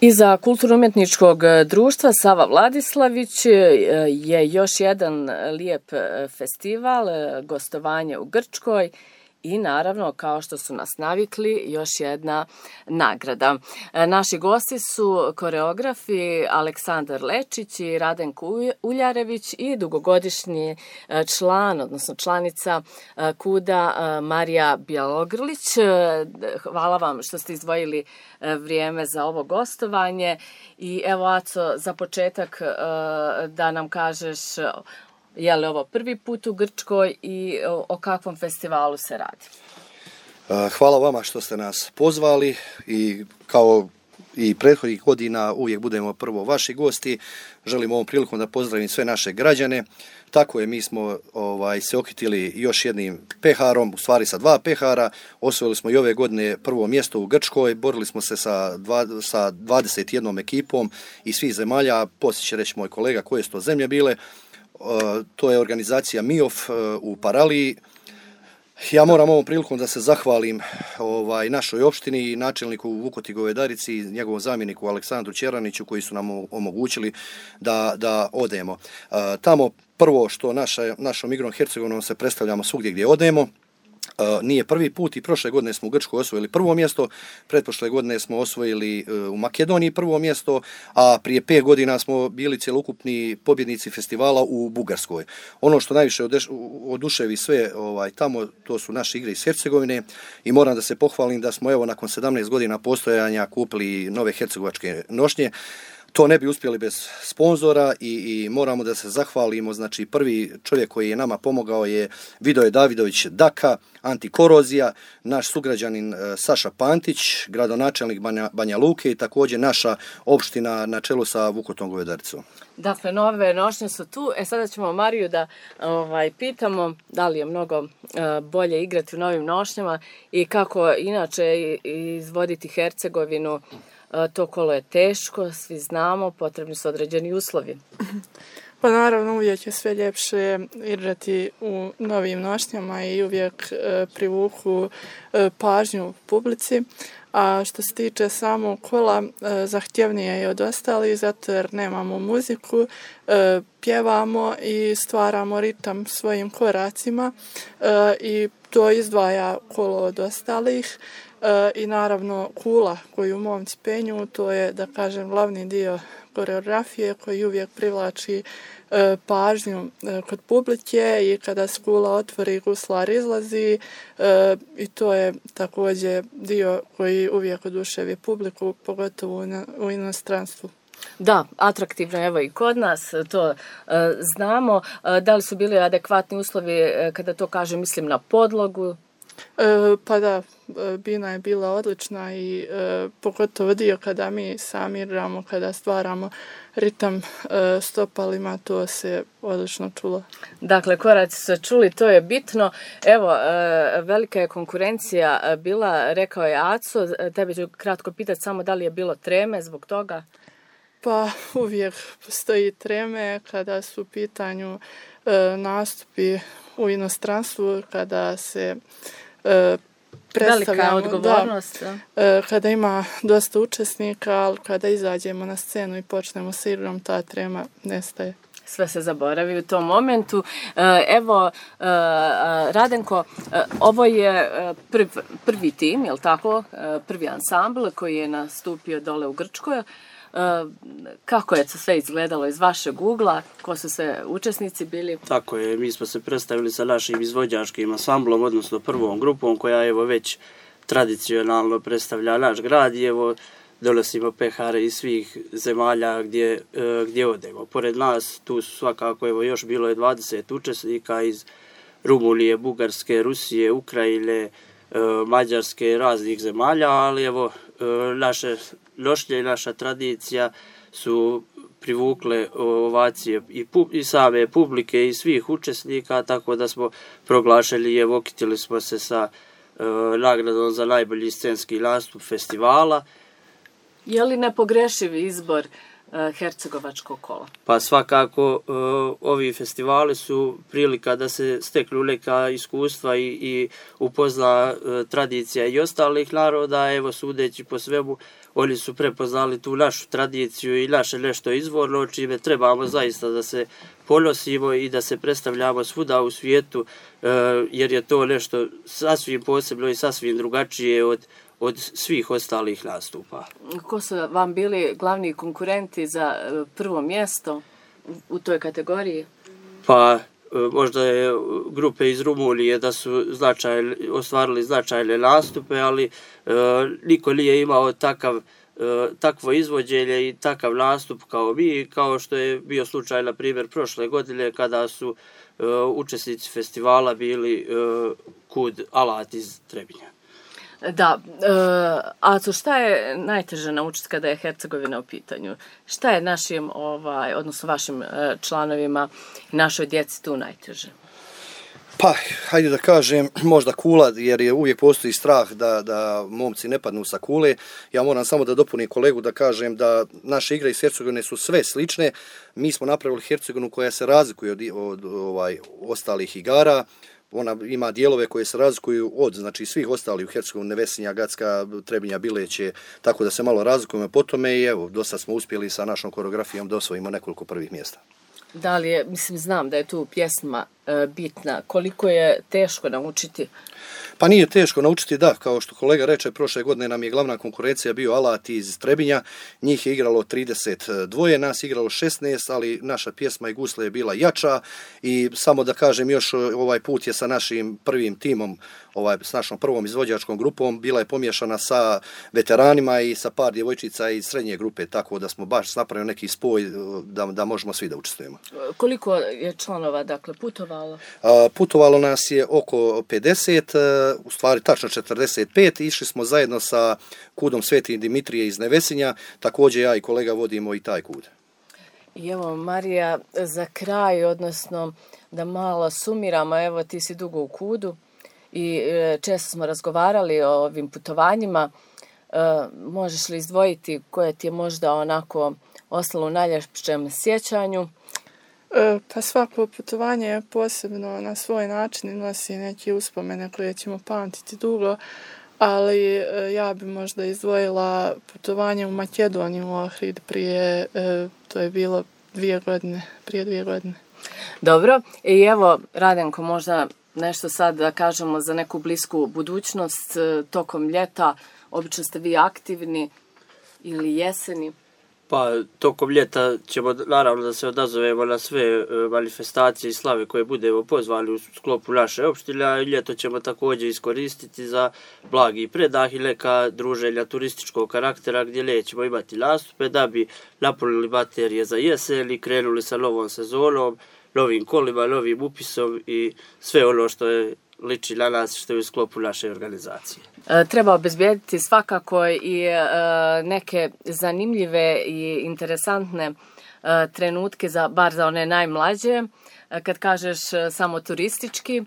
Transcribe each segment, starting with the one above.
Iza kulturno-umjetničkog društva Sava Vladislavić je još jedan lijep festival, gostovanje u Grčkoj i naravno, kao što su nas navikli, još jedna nagrada. Naši gosti su koreografi Aleksandar Lečić i Radenko Uljarević i dugogodišnji član, odnosno članica KUD-a Marija Bjelogrlić. Hvala vam što ste izdvojili vrijeme za ovo gostovanje. I evo, Aco, za početak da nam kažeš je li ovo prvi put u Grčkoj i o kakvom festivalu se radi? Hvala vama što ste nas pozvali i kao i prethodnih godina uvijek budemo prvo vaši gosti. Želim ovom prilikom da pozdravim sve naše građane. Tako je, mi smo se okitili još jednim peharom, u stvari sa 2 pehara. Osvojili smo i ove godine prvo mjesto u Grčkoj, borili smo se sa 21 ekipom iz svih zemalja. Poslije će reći moj kolega koje su to zemlje bile. To je organizacija MIOF u Paraliji. Ja moram ovom prilikom da se zahvalim našoj opštini i načelniku Vukoti Govedarici i njegovom zamjeniku Aleksandru Čeraniću koji su nam omogućili da odemo. Tamo prvo što našom igrom Hercegovinom se predstavljamo svugdje gdje odemo. Nije prvi put i prošle godine smo u Grčkoj osvojili prvo mjesto, pretprošle godine smo osvojili u Makedoniji prvo mjesto, a prije 5 godina smo bili cjelokupni pobjednici festivala u Bugarskoj. Ono što najviše oduševi sve tamo, to su naše igre iz Hercegovine i moram da se pohvalim da smo evo nakon 17 godina postojanja kupili nove hercegovačke nošnje. To ne bi uspjeli bez sponzora i moramo da se zahvalimo. Znači, prvi čovjek koji je nama pomogao je Vidoje Davidović Daka, Antikorozija, naš sugrađanin Saša Pantić, gradonačelnik Banja Luke i također naša opština na čelu sa Vukotom Govedaricom. Dakle, nove nošnje su tu. Sada ćemo Mariju da pitamo da li je mnogo bolje igrati u novim nošnjama i kako inače izvoditi Hercegovinu. To kolo je teško, svi znamo, potrebni su određeni uslovi. Pa naravno, uvijek je sve ljepše igrati u novim nošnjama i uvijek privuku pažnju publici. A što se tiče samog kola, zahtjevnije je od ostalih, zato jer nemamo muziku, pjevamo i stvaramo ritam svojim koracima i to izdvaja kolo od ostalih. I naravno kula koju momci penju, to je, da kažem, glavni dio koreografije koji uvijek privlači pažnju kod publike i kada se kula otvori, guslar izlazi i to je također dio koji uvijek oduševi publiku, pogotovo u inostranstvu. Da, atraktivno, evo i kod nas, to znamo. Da li su bili adekvatni uslovi, kada to kažem, mislim na podlogu? Pa da, bina je bila odlična i pogotovo dio kada mi sami igramo, kada stvaramo ritam stopalima, to se odlično čulo. Dakle, koraci su čuli, to je bitno. Evo, velika je konkurencija bila, rekao je Aco, tebi ću kratko pitati samo da li je bilo treme zbog toga? Pa uvijek postoji treme kada su u pitanju nastupi u inostranstvu, kada se predstavljamo, velika odgovornost. Kada ima dosta učesnika, ali kada izađemo na scenu i počnemo s igrom, ta trema nestaje. Sve se zaboravi u tom momentu. Evo, Radenko, ovo je prvi tim, je li tako? Prvi ansambl koji je nastupio dole u Grčkoj. Kako je to sve izgledalo iz vašeg ugla? Ko su sve učesnici bili? Tako je, mi smo se predstavili sa našim izvođačkim ansamblom, odnosno prvom grupom koja evo već tradicionalno predstavlja naš grad i evo donosimo pehare iz svih zemalja gdje odemo. Pored nas tu su svakako evo još bilo je 20 učesnika iz Rumunije, Bugarske, Rusije, Ukrajine, Mađarske, raznih zemalja, ali evo naše nošnje i naša tradicija su privukle ovacije i same publike i svih učesnika, tako da smo proglašeni i evo okitili smo se sa nagradom za najbolji scenski nastup festivala. Je li nepogrešiv izbor hercegovačkog kola? Pa svakako ovi festivali su prilika da se steknu neka iskustva i upozna tradicija i ostalih naroda. Evo, sudeći po svemu, oni su prepoznali tu našu tradiciju i naše nešto izvorno, čime trebamo zaista da se ponosimo i da se predstavljamo svuda u svijetu, jer je to nešto sasvim posebno i sasvim drugačije od svih ostalih nastupa. Ko su vam bili glavni konkurenti za prvo mjesto u toj kategoriji? Pa možda je grupe iz Rumunije da su ostvarili značajne nastupe, ali niko nije imao takvo izvođenje i takav nastup kao mi, kao što je bio slučaj, na primjer, prošle godine kada su učesnici festivala bili KUD Alat iz Trebinja. Da, Aco, šta je najteže naučiti kada je Hercegovina u pitanju? Šta je našim, odnosno vašim članovima i našoj djeci tu najteže? Pa, hajde da kažem, možda kula, jer je uvijek postoji strah da momci ne padnu sa kule. Ja moram samo da dopunim kolegu da kažem da naše igre iz Hercegovine su sve slične. Mi smo napravili Hercegovinu koja se razlikuje od ostalih igara. Ona ima dijelove koje se razlikuju od, znači, svih ostalih u Hercegovini, Nevesinja, Gacka, Trebinja, Bileće, tako da se malo razlikujemo po tome i evo, dosta smo uspjeli sa našom koreografijom da osvojimo nekoliko prvih mjesta. Da li je, znam da je tu pjesma bitna, koliko je teško naučiti? Pa nije teško naučiti, da, kao što kolega reče, prošle godine nam je glavna konkurencija bio Alat iz Trebinja, njih je igralo 32, nas je igralo 16, ali naša pjesma i gusle je bila jača i samo da kažem još, ovaj put je sa našim prvim timom, s našom prvom izvođačkom grupom, bila je pomiješana sa veteranima i sa par djevojčica iz srednje grupe, tako da smo baš napravili neki spoj da možemo svi da učestvujemo. Koliko je članova, dakle, putovalo? Putovalo nas je oko 50, u stvari tačno 45, išli smo zajedno sa KUD-om Sveti Dimitrije iz Nevesinja, također ja i kolega vodimo i taj KUD. I evo, Marija, za kraj, odnosno da malo sumiramo, evo ti si dugo u KUD-u i često smo razgovarali o ovim putovanjima, možeš li izdvojiti koje ti je možda onako ostalo u najljepšem sjećanju? Pa svako putovanje je posebno na svoj način i nosi neke uspomene koje ćemo pamtiti dugo, ali ja bi možda izdvojila putovanje u Makedoniju, u Ohrid, to je bilo prije 2 godine. Dobro, i evo, Radenko, možda nešto sad da kažemo za neku blisku budućnost, tokom ljeta, obično ste vi aktivni ili jeseni? Pa, tokom ljeta ćemo naravno da se odazovemo na sve manifestacije i slave koje budemo pozvali u sklopu naše opštine, a ljeto ćemo također iskoristiti za blagi predah i neka druženja turističkog karaktera gdje nećemo imati nastupe da bi napunili baterije za jesen i krenuli sa novom sezonom, novim kolima, novim upisom i sve ono što je liči na nas što je u sklopu naše organizacije. Treba obezbijediti svakako i neke zanimljive i interesantne trenutke, bar za one najmlađe. Kad kažeš samo turistički,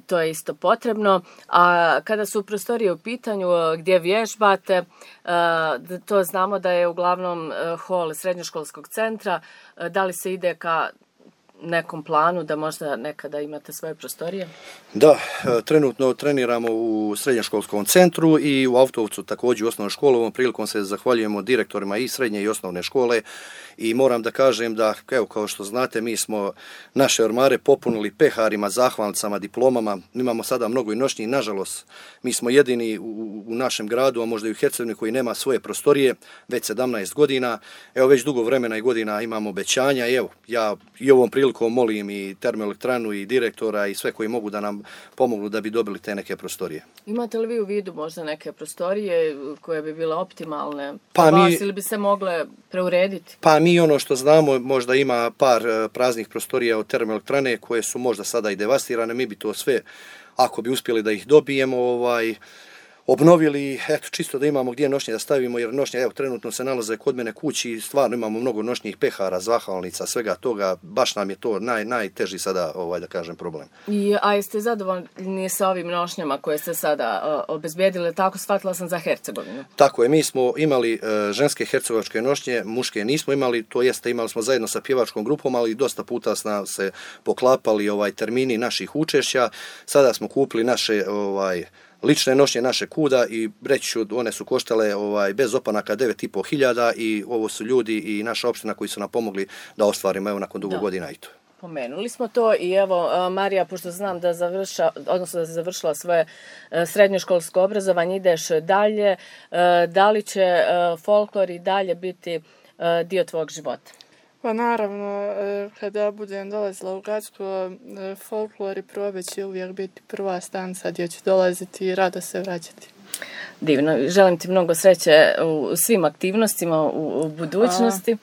to je isto potrebno. A kada su prostorije u pitanju gdje vježbate, to znamo da je uglavnom hol srednjoškolskog centra. Da li se ide ka nekom planu da možda nekada imate svoje prostorije? Da, trenutno treniramo u srednjoškolskom centru i u Autovcu također u osnovnoj školi. Ovom prilikom se zahvaljujemo direktorima i srednje i osnovne škole i moram da kažem da, evo, kao što znate, mi smo naše ormare popunili peharima, zahvalnicama, diplomama. Imamo sada mnogo i noćnih, nažalost, mi smo jedini u našem gradu, a možda i u Hercegovini koji nema svoje prostorije već 17 godina. Evo, već dugo vremena i godina imamo obećanja i evo, ja i ovom prilikom molim i termoelektranu i direktora i sve koji mogu da nam pomognu da bi dobili te neke prostorije. Imate li vi u vidu možda neke prostorije koje bi bile optimalne ili bi se mogle preurediti? Pa mi ono što znamo, možda ima par praznih prostorija od termoelektrane koje su možda sada i devastirane, mi bi to sve, ako bi uspjeli da ih dobijemo, obnovili, eto, čisto da imamo gdje nošnje da stavimo, jer nošnje, evo, trenutno se nalaze kod mene kući i stvarno imamo mnogo noćnih pehara, zahvalnica, svega toga, baš nam je to najteži sada, da kažem, problem. A jeste zadovoljni sa ovim nošnjama koje ste sada obezbijedili, tako shvatila sam za Hercegovinu? Tako je, mi smo imali ženske hercegovačke nošnje, muške nismo imali, to jeste imali smo zajedno sa pjevačkom grupom, ali dosta puta smo se poklapali termini naših učešća, sada smo kupili naše lične nošnje naše kuda i reći ću, one su koštale bez opanaka 9.500 i ovo su ljudi i naša opština koji su nam pomogli da ostvarimo evo nakon dugo godina i to. Pomenuli smo to i evo, Marija, pošto znam da da završila svoje srednjoškolsko obrazovanje, ideš dalje, da li će folklor i dalje biti dio tvojeg života? Pa naravno, kada budem dolazila u Gacko, folklor i probe će uvijek biti prva stanca gdje ću dolaziti i rado se vraćati. Divno, želim ti mnogo sreće u svim aktivnostima u budućnosti.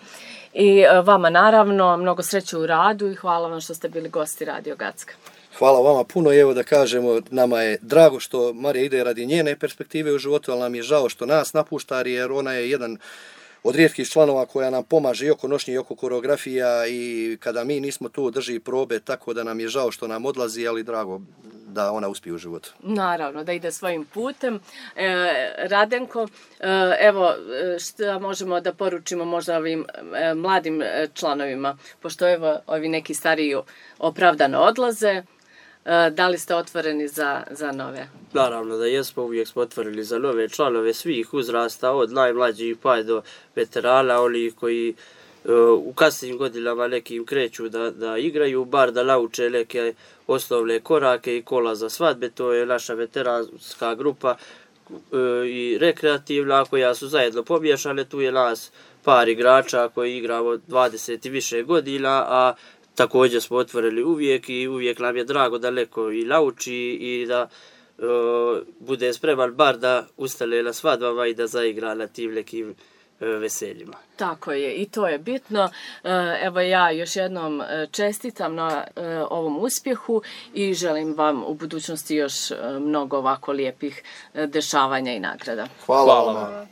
I vama naravno mnogo sreće u radu i hvala vam što ste bili gosti Radio Gacka. Hvala vama puno i evo da kažemo, nama je drago što Marija ide radi njene perspektive u životu, ali nam je žao što nas napušta jer ona je jedan od rijetkih članova koja nam pomaže i oko nošnje i oko koreografija i kada mi nismo tu drži probe, tako da nam je žao što nam odlazi, ali drago da ona uspije u životu. Naravno, da ide svojim putem. Radenko, evo što možemo da poručimo možda ovim mladim članovima, pošto evo ovi neki stariji opravdano odlaze, da li ste otvoreni za nove? Naravno da jesmo, uvijek smo otvorili za nove članove svih uzrasta, od najmlađih pa do veterana, oni koji u kasnim godinama nekim kreću da igraju, bar da nauče neke osnovne korake i kola za svadbe. To je naša veteranska grupa i rekreativna koja su zajedno pomiješane. Tu je nas par igrača koji igramo 20 i više godina, a također smo otvorili uvijek i uvijek nam je drago da neko i nauči i da bude spreman bar da ustane na svadbama i da zaigra na tim nekim veseljima. Tako je, i to je bitno. Evo ja još jednom čestitam na ovom uspjehu i želim vam u budućnosti još mnogo ovako lijepih dešavanja i nagrada. Hvala vam.